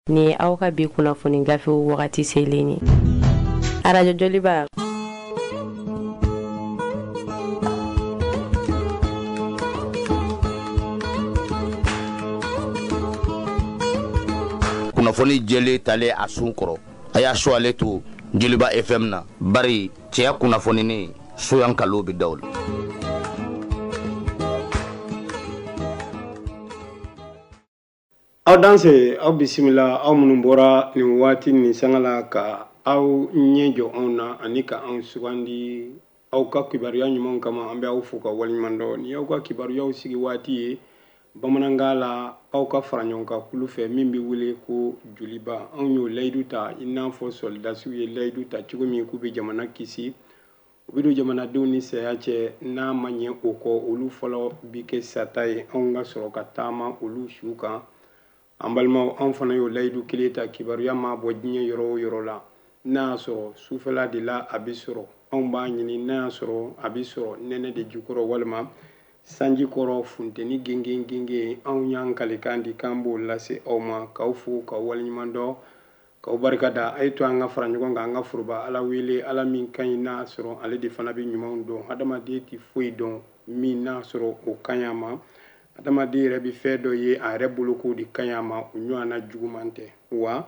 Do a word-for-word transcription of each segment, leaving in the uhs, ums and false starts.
Nin ye aw ka bi kunnafoni gafew wagati selen ye. Arajo Joliba. Kunnafoni jɛlen talen a sun kɔrɔ, a y'a su ale to Joliba F M na, bari cɛya kunnafoni soyan kalo bɛ daw la. Aw danse, aw bisimila, aw minnu bɔra nin waati nin sanga la ka aw ɲɛ jɔ anw na ani ka anw sugandi aw ka kibaruya ɲumanw kama, an bɛ aw fo ka waleɲuman dɔn. Ni aw ka kibaruyaw sigi waati ye bamanankan la, aw ka fara ɲɔgɔn kan kulu fɛ min bɛ wele ko Joliba. Anw y'o layidu ta i n'a fɔ sɔrɔdasiw ye layidu ta cogo min k'u bɛ jamana kisi, u bɛ don jamanadenw ni saya cɛ, n'a ma ɲɛ o kɔ olu fɔlɔ bi kɛ sata ye, anw ka sɔrɔ ka taama olu su kan. An balimaw, anw fana y'o layidu kelen ta, kibaruya ma bɔ diɲɛ yɔrɔ o yɔrɔ la, n'a y'a sɔrɔ sufɛla de la a bɛ sɔrɔ, anw b'a ɲini n'a y'a sɔrɔ a bɛ sɔrɔ nɛnɛ de jukɔrɔ walima sanji kɔrɔ, funteni gengen gengen, anw y'an kalikan di k'an b'o lase aw ma, k'aw fo k'aw waleɲuman dɔn, k'aw barika da. A ye to an ka fara ɲɔgɔn kan, an ka foroba Ala wele, Ala min ka ɲi n'a sɔrɔ ale de fana bɛ ɲumanw dɔn. Hadamaden tɛ foyi dɔn min n'a sɔrɔ o ka ɲi a ma. Hadamaden yɛrɛ bɛ fɛn dɔ ye a yɛrɛ bolo k'o de ka ɲi a ma, o ɲɔgɔnna juguman tɛ. Wa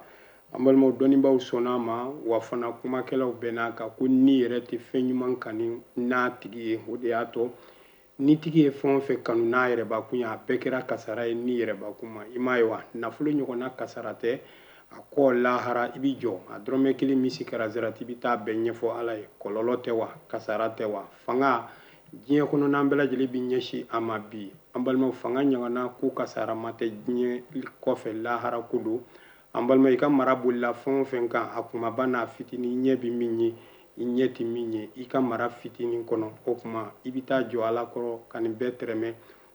an balimaw, dɔnnibaaw sɔnna a ma, wa fana kumakɛlaw bɛn'a kan ko ni yɛrɛ tɛ fɛn ɲuman kanu n'a tigi ye. O de y'a to ni tigi ye fɛn o fɛn kanu n'a yɛrɛbakun ye, a bɛɛ kɛra kasara ye ni yɛrɛbakun ma. I m'a ye wa, nafolo ɲɔgɔnna kasara tɛ, a kɔ lahara i b'i jɔ, a dɔrɔmɛ kelen misi kɛra zarati, i bɛ taa bɛɛ ɲɛfɔ Ala ye. Kɔlɔlɔ tɛ wa, kasara tɛ wa. Fanga diɲɛ kɔnɔ n'an bɛɛ lajɛlen bɛ ɲɛsin a ma bi, an balimaw, fanga ɲɔgɔnna ko kasara ma tɛ diɲɛ kɔfɛ, lahara ko don. An balima, i ka mara bolila fɛn o fɛn kan, a kumaba n'a fitinin, ɲɛ bɛ min ye, i ɲɛ tɛ min ye, i ka mara fitinin kɔnɔ, o tuma i bɛ taa jɔ Ala kɔrɔ ka nin bɛɛ tɛrɛmɛ.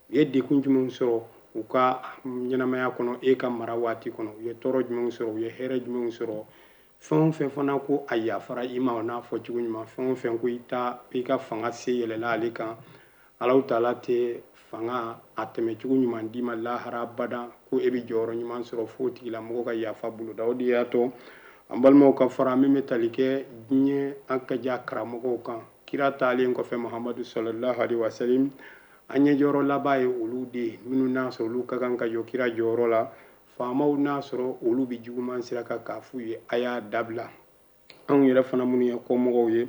U ye degun jumɛnw sɔrɔ u ka ɲɛnamaya kɔnɔ e ka mara waati kɔnɔ, u ye tɔɔrɔ jumɛnw sɔrɔ, u ye hɛrɛ jumɛnw sɔrɔ. Fɛn o fɛn fana ko a yafara i ma, o n'a fɔ cogo ɲuman, fɛn o fɛn ko i ta i ka fanga se yɛlɛla ale kan, Alahu taala tɛ fanga a tɛmɛ cogo ɲuman d'i ma lahara abada, ko e bɛ jɔyɔrɔ ɲuman sɔrɔ fo tigilamɔgɔ ka yafa boloda. O de y'a to an balimaw ka fara min bɛ tali kɛ diɲɛ an ka ja karamɔgɔw kan, kira taalen kɔfɛ Muhamadu sallallahu alaihi wasallam, an ɲɛ jɔyɔrɔ laban ye olu de ye, minnu n'a sɔrɔ olu ka kan ka jɔ kira jɔyɔrɔ la. Faamaw n'a sɔrɔ olu bɛ juguman sira kan k'a f'u ye a y'a dabila. Anw yɛrɛ fana minnu ye kɔmɔgɔw ye,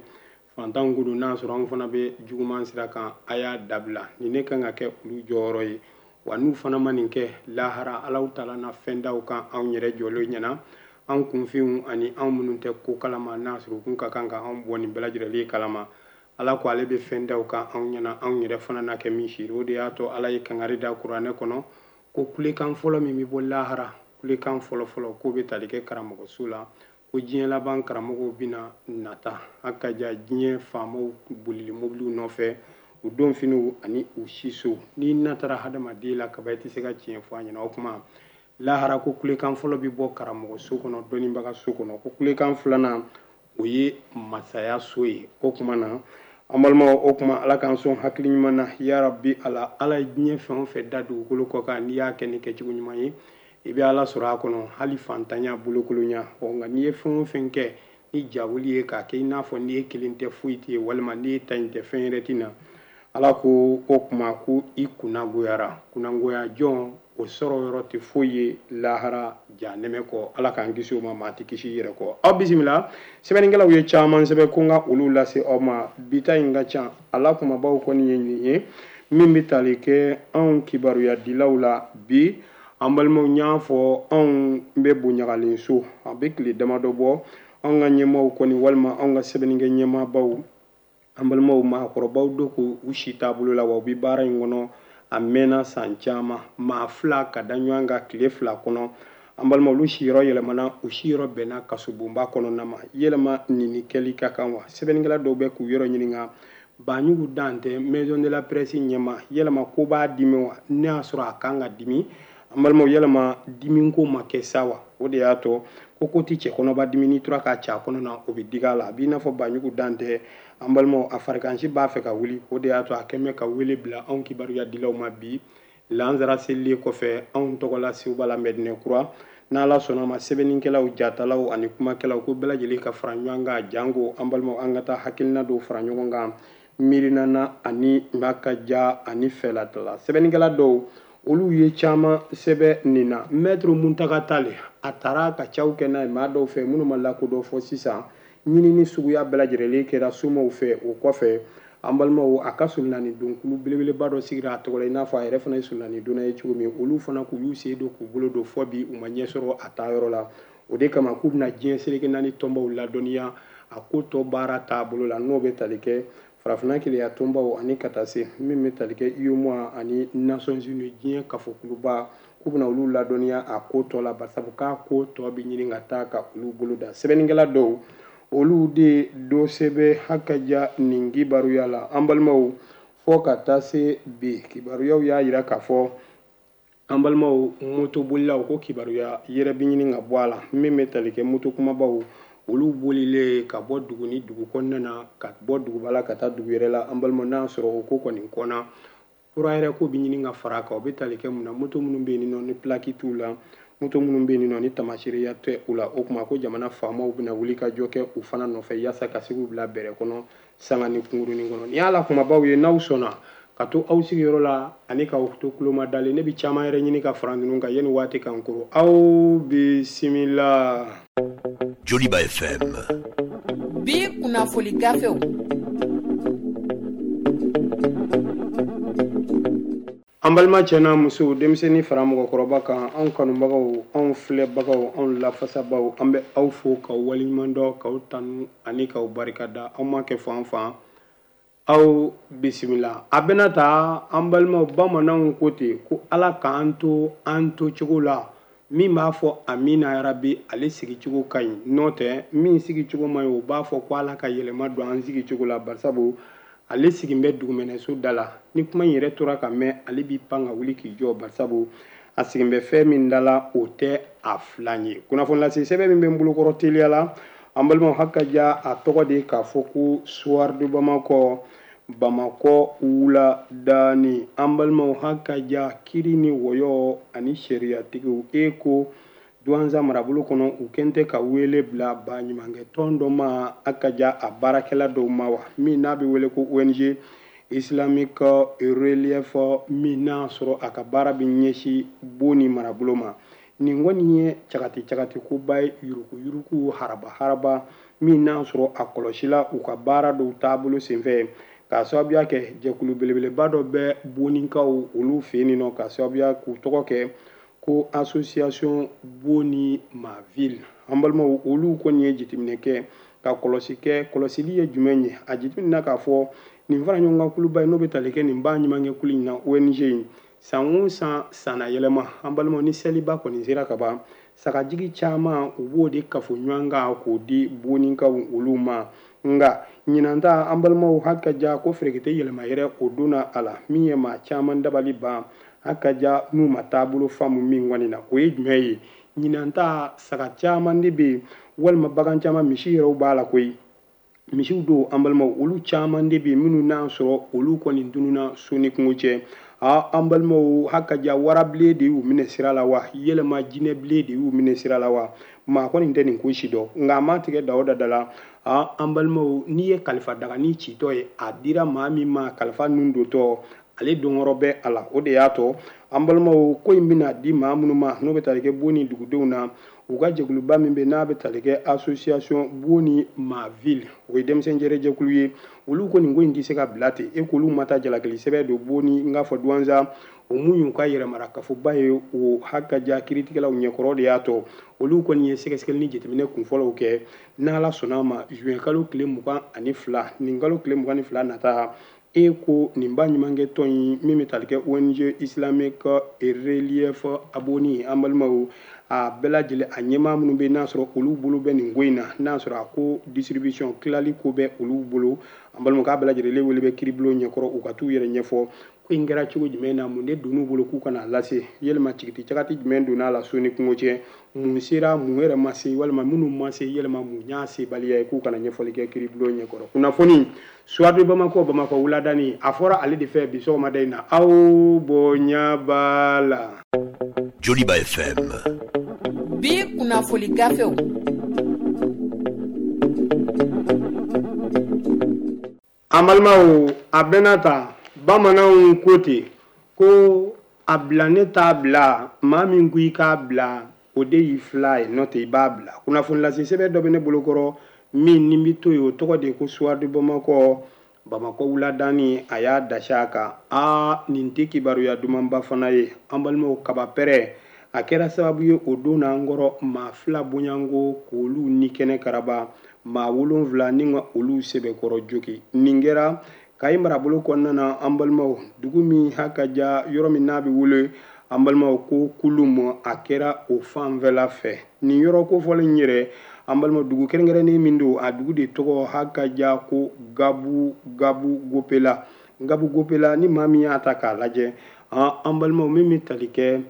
fantanw ko don, n'a sɔrɔ anw fana bɛ juguman sira kan, a y'a dabila. Nin ne kan ka kɛ olu jɔyɔrɔ ye. Wa n'u fana ma nin kɛ lahara, Alahu taala na fɛn da u kan anw yɛrɛ jɔlen ɲɛna, an kunfinw ani anw minnu tɛ ko kalama, n'a sɔrɔ u kun ka kan ka anw bɔ nin bɛɛ lajɛlen kalama. Ala ko ale bɛ fɛn da u kan anw ɲɛna, anw yɛrɛ fana na kɛ min seere. O de y'a to Ala ye kangari da kuranɛ kɔnɔ ko kulekan fɔlɔ min bɛ bɔ lahara, kulekan fɔlɔ fɔlɔ k'o bɛ tali kɛ karamɔgɔso la, ko diɲɛ laban karamɔgɔw bɛna nata a ka ja diɲɛ faamaw bolili mobiliw nɔfɛ, u donfiniw ani u siso. N'i natara hadamaden la kaba, i tɛ se ka tiɲɛ fɔ a ɲɛna. O tuma lahara ko kulekan fɔlɔ bɛ bɔ karamɔgɔso kɔnɔ, dɔnnibaga so kɔnɔ. Ko kulekan filanan o ye masaya so ye. O tuma na an balimaw, o tuma Ala k'an sɔn hakili ɲuman na ya Rabbi. Ala, Ala ye diɲɛ fɛn o fɛn da dugukolo kɔ kan, n'i y'a kɛ ni kɛcogo ɲuman ye, i bɛ Ala sɔrɔ a kɔnɔ, hali fantanya bolokolonya. Ɔ nka n'i ye fɛn o fɛn kɛ ni jawuli ye k'a kɛ i n'a fɔ n'i ye kelen tɛ foyi tɛ ye, walima n'i ye ta in tɛ fɛn yɛrɛ tɛ na, Ala ko o tuma ko i kunnagoyara. Kunnagoya jɔn o sɔrɔ yɔrɔ tɛ foyi ye lahara jahanɛmɛ kɔ. Ala k'an kisi o ma, maa tɛ kisi i yɛrɛ kɔ. Aw bisimila, sɛbɛnnikɛlaw ye caman sɛbɛn ko n ka olu lase aw ma. Bi ta in ka ca, a la kumabaw kɔni ye nin ye min bɛ tali kɛ anw kibaruyadilaw la bi. An balimaw, n y'a fɔ anw bɛ bonyagalen so, a bɛ tile damadɔ bɔ, anw ka ɲɛmaaw kɔni walima anw ka sɛbɛnnikɛ ɲɛmaabaw, an balimaw maakɔrɔbaw don k'u si taabolo la, wa u bɛ baara in kɔnɔ a mɛnna san caman, maa fila ka da ɲɔgɔn kan tile fila kɔnɔ. An balimaw, olu siyɔrɔ yɛlɛmana, u siyɔrɔ bɛnna kasobonba kɔnɔna ma. Yɛlɛma nin kɛli ka kan wa? Sɛbɛnnikɛla dɔw bɛ k'u yɔrɔ ɲininka, Banjugu Dantɛ maison de la presse ɲɛma, yɛlɛma ko b'a dimi wa? Ne y'a sɔrɔ a kan ka dimi. An balimaw, yɛlɛma dimi ko ma kɛ sa wa? O de y'a to ko ko ti cɛ kɔnɔba dimi, n'i tora k'a ci a kɔnɔ na, o bɛ digi a la. A b'i n'a fɔ Banjugu Dantɛ, an balimaw, a farikansi b'a fɛ ka wuli. O de y'a to a kɛn bɛ ka wele bila anw kibaruyadilaw ma bi lansara selilen kɔfɛ anw tɔgɔla Seguba la Mɛdinɛ Kura. N'Ala sɔnna ma, sɛbɛnnikɛlaw, jatalaw ani kumakɛlaw, ko bɛɛ lajɛlen ka fara ɲɔgɔn kan, janko an balimaw, an ka taa hakilina dɔw fara ɲɔgɔn kan miirina na ani n'a ka ja ani fɛlatala. Sɛbɛnnikɛla dɔw, olu ye caman sɛbɛn nin na. Maître Muntaga Tall, a taara ka caw kɛ n'a ye maa dɔw fɛ minnu ma lakodɔn fɔ sisan. Ɲinini suguya bɛɛ lajɛlen kɛra somaw fɛ. O kɔfɛ, an balimaw, a ka solonani donkulu belebeleba dɔ sigira a tɔgɔ la, i n'a fɔ a yɛrɛ fana ye solonani donna ye cogo min. Olu fana k'u y'u sen don k'u bolo don, fɔ bi u ma ɲɛ sɔrɔ a taayɔrɔ la. O de kama k'u bɛna diɲɛ seleke naani tɔnbaw ladɔnniya a ko tɔ baara taabolo la, n'o bɛ tali kɛ farafinna keleya tɔnbaw ani ka taa se min bɛ tali kɛ UEMOA ani Nations Unies, diɲɛ kafokuluba, k'u bɛna olu ladɔnniya a ko tɔ la, barisabu k'a ko tɔ bɛ ɲini ka taa ka olu bolo da. Sɛbɛnnikɛla dɔw, olu de dɔ sɛbɛn hakaja nin kibaruya la. An balimaw, fɔ ka taa se bi, kibaruyaw y'a yira k'a fɔ, an balimaw, motobolilaw ko kibaruya yɛrɛ bɛ ɲini ka bɔ a la, min bɛ tali kɛ moto kumabaw, olu bolilen ka bɔ dugu ni dugu kɔnɔna na, ka bɔ duguba la ka taa dugu yɛrɛ la. An balimaw, n'a sɔrɔ o ko kɔni kɔnna, kura yɛrɛ ko bɛ ɲini ka fara a kan. O bɛ tali kɛ mun na? Moto minnu bɛ yen nɔ ni plaque t'u la, moto minnu bɛ yen nɔ ni tamaseereya tɛ u la. O tuma ko jamana faamaw bɛna wuli ka jɔ kɛ u fana nɔfɛ, yaasa ka se k'u bila bɛrɛ kɔnɔ sanga ni kunkurunin kɔnɔ. Nin y'a la kumabaw ye. N'aw sɔnna ka to aw sigiyɔrɔ la ani k'aw to tuloma dalen, ne bɛ caman yɛrɛ ɲini ka fara ninnu kan yanni waati kan koro. Aw bisimila. Joliba F M. Bi kunnafoli gafew. An balima cɛ n'a musow, denmisɛnnin fara mɔgɔkɔrɔba kan, anw kanubagaw, anw filɛbagaw, anw lafasabaw, an bɛ aw fo k'aw waleɲuman dɔn, k'aw tanu ani k'aw barikada. Aw ma kɛ fan fan, aw bisimila. A bɛna ta, an balimaw, bamananw ko ten ko Ala k'an to an to cogo la. Min b'a fɔ amina yarabi, ale sigicogo ka ɲi. N'o tɛ, min sigicogo ma ɲi, o b'a fɔ ko Ala ka yɛlɛma don an sigicogo la, barisabu ale sigin bɛ dugumɛnɛso da la. Ni kuma in yɛrɛ tora ka mɛn, ale b'i pan ka wuli k'i jɔ, barisabu a sigin bɛ fɛn min da la, o tɛ a filan ye. Kunnafoni lase sɛbɛn min bɛ n bolokɔrɔ teliya la, an balimaw, hakaja, a tɔgɔ de k'a fɔ ko Soir de Bamakɔ, Bamakɔ wula daani. An balimaw, hakaja, kiri ni wɔyɔ ani sariyatigiw, e ko Duwanza marabolo kɔnɔ, u kɛn tɛ ka wele bila baɲumankɛ tɔn dɔ ma, hakaja, a baarakɛla dɔw ma wa, min n'a bɛ wele ko O N G Islamique Relief, min n'a sɔrɔ a ka baara bɛ ɲɛsin Boni marabolo ma. Nin kɔni ye cagati cagati koba ye, yuruku yuruku, haraba haraba, min n'a sɔrɔ a kɔlɔsila u ka baara dɔw taabolo senfɛ, k'a sababuya kɛ jɛkulu belebeleba dɔ bɛ Bonikaw olu fɛ yen nɔ, k'a sababuya k'u tɔgɔ kɛ ko Association Boni Ma Ville. An balimaw, olu kɔni ye jateminɛ kɛ ka kɔlɔsi kɛ. Kɔlɔsili ye jumɛn ye? A jateminɛ k'a fɔ nin fara ɲɔgɔn kan kuluba ye, n'o bɛ tali kɛ nin ba ɲumankɛ kulu in na, O N G in, san o san, sanna yɛlɛma, an balimaw, ni seliba kɔni sera ka ban, sagajigi caman u b'o de kafo ɲɔgɔn kan k'o di Bonikaw olu ma. Nka ɲinan ta, an balimaw, hakaja, ko ferekete yɛlɛma yɛrɛ o donna a la, min ye maa caman dabali ban, hakaja, n'u ma taabolo faamu min kɔni na. O ye jumɛn ye? Ɲinan ta, saga caman de bɛ yen, walima bagan caman, misi yɛrɛw b'a la koyi, misiw don. An balimaw, olu caman de bɛ yen minnu n'a sɔrɔ olu kɔni tununna so ni kungo cɛ. Aa, an balimaw, hakaja, warabilen de y'u minɛ sira la wa, yɛlɛma jinɛbilen de y'u minɛ sira la wa, maa kɔni tɛ nin ko si dɔn. Nka a ma tigɛ da o da da la. Aa, an balimaw, n'i ye kalifa dagani citɔ ye, a dira maa min ma kalifa nun dontɔ, ale dɔnyɔrɔ bɛ a la. O de y'a to, an balimaw, ko in bɛna di maa minnu ma, n'o bɛ tali kɛ Boni dugudenw na, u ka jɛkuluba min bɛ n'a bɛ tali kɛ Association Boni Ma Ville, o ye denmisɛn jɛrɛ jɛkulu ye. Olu ko nin ko in tɛ se ka bila ten. E k'olu ma taa jalakili sɛbɛn don Boni, n k'a fɔ Duwanza, o mun y'u ka yɛrɛmara kafoba ye, o hakaja, kiiritigɛlaw ɲɛkɔrɔ. De y'a to olu kɔni ye sɛgɛsɛgɛli ni jateminɛ kunfɔlɔw kɛ. N'Ala sɔnna a ma, juin kalo tile mugan ani fila, nin kalo tile mugan ni fila nata, e ko nin ba ɲumankɛ tɔn in min bɛ tali kɛ O N G Islamique Relief Aboni, an balimaw, a bɛɛ lajɛlen a ɲɛmaa minnu bɛ n'a sɔrɔ olu bolo bɛ nin ko in na, n'a sɔrɔ a ko distribution tilali ko bɛ olu bolo, an balimaw, k'a bɛɛ lajɛlen wele bɛ kiiribulon ɲɛkɔrɔ, u ka t'u yɛrɛ ɲɛfɔ ko in kɛra cogo jumɛn na, mun de donn'u bolo k'u kana lase, yɛlɛma cigiti cagati jumɛn donna a la so ni kungo cɛ, mun sera, mun yɛrɛ ma se, walima minnu ma se, yɛlɛma mun y'a sebaliya ye, k'u kana ɲɛfɔli kɛ kiiribulon ɲɛkɔrɔ. Kunnafoni Soir de Bamakɔ, Bamakɔ wuladani, a fɔra ale de fɛ bi sɔgɔmada in na. Aw bonya b'a la. Joliba F M. Bi kunnafoli gafew. An balimaw, a bɛna ta bamananw ko ten ko a bila ne t'a bila, maa min ko i k'a bila o de y'i fila ye, n'o tɛ i b'a bila. Kunnafoni lase sɛbɛn dɔ bɛ ne bolokɔrɔ min ni bɛ to yen, o tɔgɔ de ko Soir de Bamakɔ. Bamakɔ wuladani a y'a dasi a kan. Aa, nin tɛ kibaruya dumanba fana ye. An balimaw, kaba pɛrɛ a kɛra sababu ye o don na an kɔrɔ maa fila bonyanko k'olu ni kɛnɛ karaba, maa wolonfila ni ka olu sɛbɛkɔrɔ jogi. Nin kɛra Kayi marabolo kɔnɔna na. An balimaw, dugu min ha ka ja, yɔrɔ min n'a bɛ wele an balimaw ko Kulum, a kɛra o fanfɛla fɛ. Nin yɔrɔ kofɔlen yɛrɛ, an balimaw, dugu kɛrɛnkɛrɛnnen min don, a dugu de tɔgɔ ha ka ja ko Gabu Gabu Gopela. Gabu Gopela, ni maa min y'a ta k'a lajɛ, an balimaw, min bɛ tali kɛ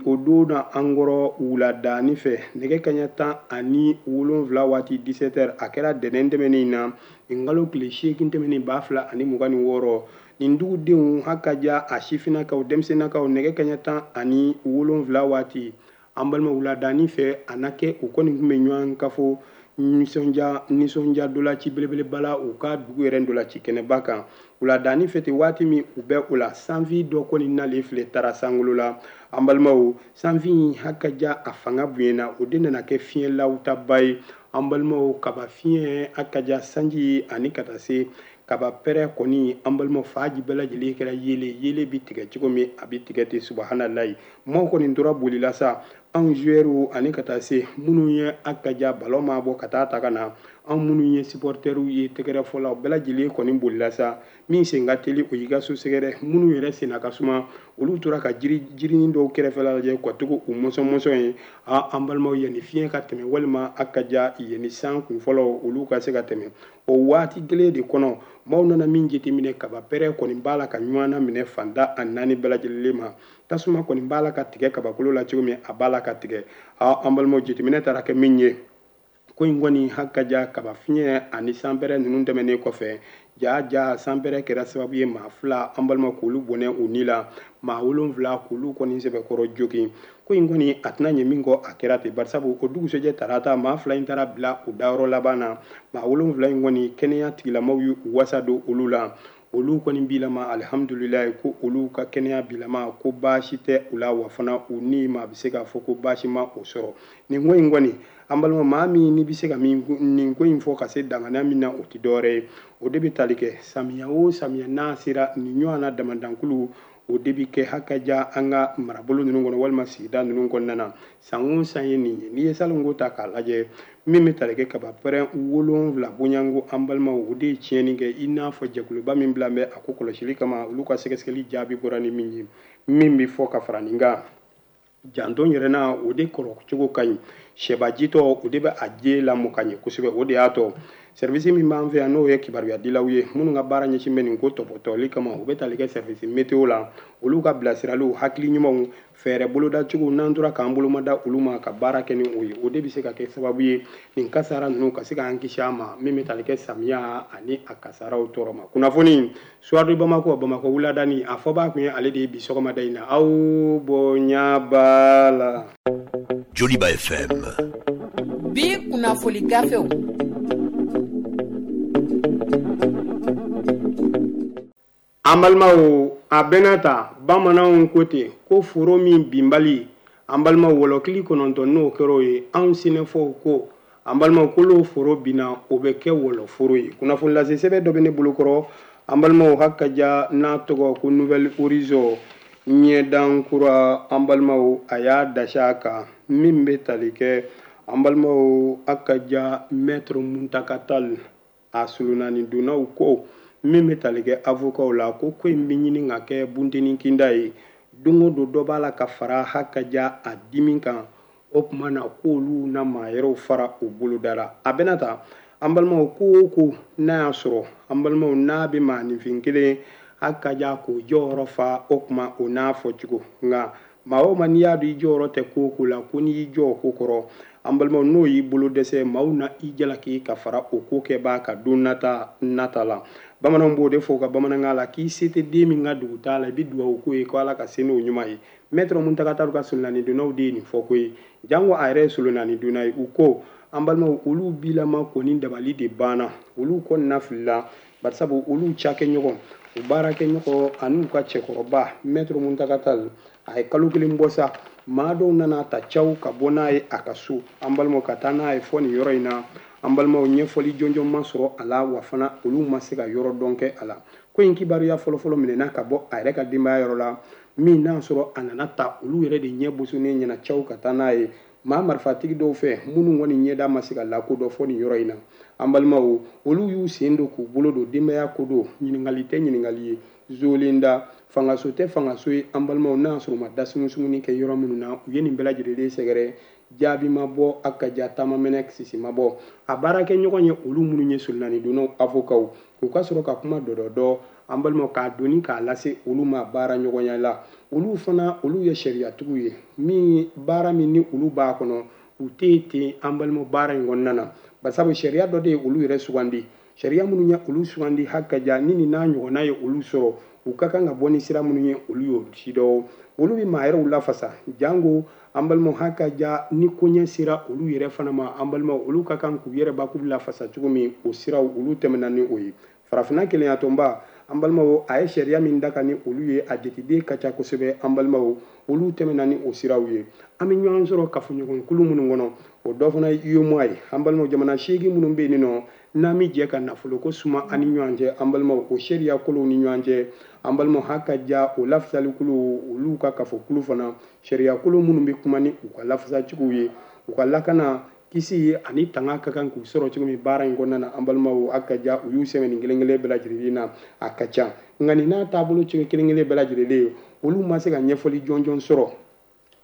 o don na an kɔrɔ wuladani fɛ nɛgɛ kaɲɛ tan ani wolonfila waati dix-sept heures, a kɛra dɛnɛn tɛmɛnen in na, nin kalo tile seegin tɛmɛnen ba fila ani mugan ni wɔɔrɔ. Nin dugudenw ha ka ja, a sifinnakaw, denmisɛnninnakaw, nɛgɛ kaɲɛ tan ani wolonfila waati, an balima, wuladani fɛ, a na kɛ u kɔni tun bɛ ɲɔgɔn kafo nisɔndiya nisɔndiya dolaci belebeleba la u ka dugu yɛrɛ dolaci kɛnɛba kan. Wuladani fɛ ten, waati min u bɛ o la, sanfin dɔ kɔni nalen filɛ taara sankolo la. An balimaw, sanfin ha ka ja, a fanga bonyana, o de nana kɛ fiɲɛ lawutaba ye. An balimaw, kaba fiɲɛ ha ka ja, sanji ani ka taa se kaba pɛrɛ kɔni, an balimaw, faji bɛɛ lajɛlen kɛra yele yele bi tigɛ cogo min, a bi tigɛ ten. Subahanallahi, maaw kɔni tora boli la sa, anw joueurs ani ka taa se minnu ye a ka ja ballon ma bɔ ka taa ta ka na, anw minnu ye supporters ye, tɛgɛrɛfɔlaw bɛɛ lajɛlen kɔni bolila sa. Min sen ka teli o y'i ka so sɛgɛrɛ, minnu yɛrɛ senna ka suma olu tora ka jiri jirinin dɔw kɛrɛfɛla lajɛ ka to u mɔsɔn mɔsɔn ye. A an balimaw, yanni fiɲɛ ka tɛmɛ walima a ka ja yanni san kun fɔlɔ olu ka se ka tɛmɛ, o waati kelen de kɔnɔ maaw nana min jateminɛ, kaba pɛrɛ kɔni b'a la ka ɲɔgɔn na minɛ fanda a naani bɛɛ lajɛlen ma. Tasuma kɔni b'a la ka tigɛ kabakolo la cogo min, a b'a la ka tigɛ. A an balimaw, jateminɛ taara kɛ min ye, ko in kɔni ha ka ja kaba fiɲɛ ani sanpɛrɛ ninnu tɛmɛnen kɔfɛ, ja ja sanpɛrɛ kɛra sababu ye maa fila, an balima, k'olu bɔnɛ u ni la, maa wolonfila k'olu kɔni sɛbɛkɔrɔ jogi. Ko in kɔni a tɛna ɲɛ min kɔ, a kɛra ten, barisabu o dugusɛjɛ tarata maa fila in taara bila u dayɔrɔ laban na. Maa wolonfila in kɔni, kɛnɛya tigilamaw y'u wasa don olu la, olu kɔni bilama alihamudulilayi, ko olu ka kɛnɛya bilama, ko baasi tɛ u la, wa fana u ni maa bɛ se k'a fɔ ko baasi ma o sɔrɔ. Nin ko in kɔni, an balima, maa min n'i bɛ se ka min nin ko in fɔ ka se danganiya min na, o tɛ dɔwɛrɛ ye, o de bɛ tali kɛ samiya o samiya n'a sera, nin ɲɔgɔn na damandankulu o de bɛ kɛ hakaja an ka marabolo ninnu kɔnɔ walima sigida ninnu kɔnɔna na. San o san ye nin ye. N'i ye salonko ta k'a lajɛ, min bɛ tali kɛ kaba pɛrɛn wolonfila bonyanko, an balimaw, o de ye tiɲɛni kɛ. I n'a fɔ jɛkuluba min bila bɛ a ko kɔlɔsili kama, olu ka sɛgɛsɛgɛli jaabi bɔra ni min ye, min bɛ fɔ ka fara nin kan, janto yɛrɛ na o de kɔrɔ cogo ka ɲi, sɛbajitɔ o de bɛ a je lamɔ ka ɲɛ kosɛbɛ. O de y'a to service min b'an fɛ yan, n'o ye kibaruyadilaw ye minnu ka baara ɲɛsin bɛ nin ko tɔpɔtɔli kama, u bɛ tali kɛ service météo la, olu ka bilasiraliw, hakili ɲumanw, fɛɛrɛ bolodacogo, n'an tora k'an bolomada olu ma ka baara kɛ ni o ye, o de bɛ se ka kɛ sababu ye nin kasara ninnu ka se k'an kisi a ma, min bɛ tali kɛ samiya ani a kasaraw tɔɔrɔ ma. Kunnafoni Soir de Bamakɔ, Bamakɔ wuladani, a fɔbaa kun ye ale de ye bi sɔgɔmada in na. Aw bonya b'a la. Joliba F M. Bi kunnafoli gafew. An balimaw, a bɛna ta bamananw ko ten ko foro min binbali, an balimaw, wɔlɔkili kɔnɔntɔn n'o kɛra o ye, anw sɛnɛfɔw ko an balimaw kolo foro binna, o bɛ kɛ wɔlɔforo ye. Kunnafoni lase sɛbɛn dɔ bɛ ne bolokɔrɔ, an balimaw, hakaja n'a tɔgɔ ko Nouvelle Horizon ɲɛdan kura, an balimaw, a y'a dasi a kan, min bɛ tali kɛ an balimaw hakaja maître Muntaka Tall a sulunani donnaw ko min bɛ tali kɛ avocat la, ko ko in bɛ ɲini ka kɛ bunteni kinda ye, don o don dɔ b'a la ka fara hakaja a dimi kan, o tuma na k'olu na maa yɛrɛw fara u boloda la. A bɛna ta an balimaw, ko o ko n'a y'a sɔrɔ an balimaw n'a bɛ maaninfin kelen hakaja k'o jɔyɔrɔ fa, o tuma o n'a fɔcogo, nka maa o maa n'i y'a dɔn i jɔyɔrɔ tɛ ko o ko la, ko n'i y'i jɔ o ko kɔrɔ, an balimaw, n'o y'i bolo dɛsɛ, maaw na i jalaki ka fara o ko kɛbaa ka don nata nata la. Bamananw b'o de fɔ u ka bamanankan la k'i se tɛ den min ka dugu t'a la, i bɛ dugawu k'o ye ko Ala ka se n'o ɲuman ye. Maître Mountaga Tall ka solonani donnaw de ye nin fɔ ko ye, jango a yɛrɛ ye solonani donna ye. U ko an balimaw, olu bilama kɔni dabali de banna, olu kɔni filila, barisabu olu cakɛɲɔgɔn, u baarakɛɲɔgɔn ani u ka cɛkɔrɔba Maître Mountaga Tall, a ye kalo kelen bɔ sa, maa dɔw nana ta caw ka bɔ n'a ye a ka so, an balimaw, ka taa n'a ye fɔ nin yɔrɔ in na. An balimaw, ɲɛfɔli jɔnjɔn ma sɔrɔ a la, wa fana olu ma se ka yɔrɔ dɔn kɛ a la. Ko in kibaruya fɔlɔfɔlɔ minɛna ka bɔ a yɛrɛ ka denbaya yɔrɔ la, min n'a sɔrɔ a nana ta olu yɛrɛ de ɲɛ bosonnen ɲɛna caw ka taa n'a ye maa marifatigi dɔw fɛ minnu kɔni ɲɛda ma se ka lakodɔn fɔ nin yɔrɔ in na. An balimaw, olu y'u sen don k'u bolo don denbaya ko don, ɲininkali tɛ ɲininkali ye, zolenda fangaso tɛ fangaso ye. An balimaw, n'a sɔrɔ u ma da sumusumuni kɛ yɔrɔ minnu na, u ye nin bɛɛ lajɛlen sɛgɛrɛ, jaabi ma bɔ, a ka ja taama mɛnɛ sisi ma bɔ. A baarakɛɲɔgɔn ye olu minnu ye solonani donnaw avokaw, u ka sɔrɔ ka kuma dɔdɔdɔ, an balimaw, k'a doni k'a lase olu ma baara ɲɔgɔnya la. Olu fana, olu ye sariyatigiw ye, min baara min ni olu b'a kɔnɔ, u tɛ ten an balimaw baara in kɔnɔna na, barisabu sariya dɔ de ye olu yɛrɛ sugandi. Sariya minnu ye olu sugandi haka ja, ni nin n'a ɲɔgɔnna ye olu sɔrɔ, u ka kan ka bɔ ni sira minnu ye, olu y'o si dɔn. Olu bɛ maa yɛrɛw lafasa, jango an balimaw haka ja ni koɲɛ sera olu yɛrɛ fana ma, an balimaw, olu ka kan k'u yɛrɛ bakuru lafasa cogo min, o siraw olu tɛmɛna ni o ye. Farafinna kelenyatɔnba, an balimaw, a ye sariya min da ka ni olu ye, a jateden ka ca kosɛbɛ. An balimaw, olu tɛmɛna ni o siraw ye. An bɛ ɲɔgɔn sɔrɔ kafoɲɔgɔnkulu minnu kɔnɔ, o dɔ fana ye UEMOA ye. An balimaw, jamana seegin minnu bɛ yen nɔ, n'an bɛ jɛ ka nafoloko suma an ni ɲɔgɔn cɛ, an balimaw, o sariya kolow ni ɲɔgɔn cɛ, an balimaw, haka ja o lafasalikulu, olu ka kafokulu fana, sariya kolo minnu bɛ kuma ni u ka lafasacogow ye, u ka lakana kisi ani tanga ka kan k'u sɔrɔ cogo min baara in kɔnɔna na. An balimaw, a ka ja u y'u sɛbɛn nin kelen kelen bɛɛ lajɛlen na, a ka ca, nka nin n'a taabolo cogo kelen kelen bɛɛ lajɛlen ye, olu ma se ka ɲɛfɔli jɔnjɔn sɔrɔ.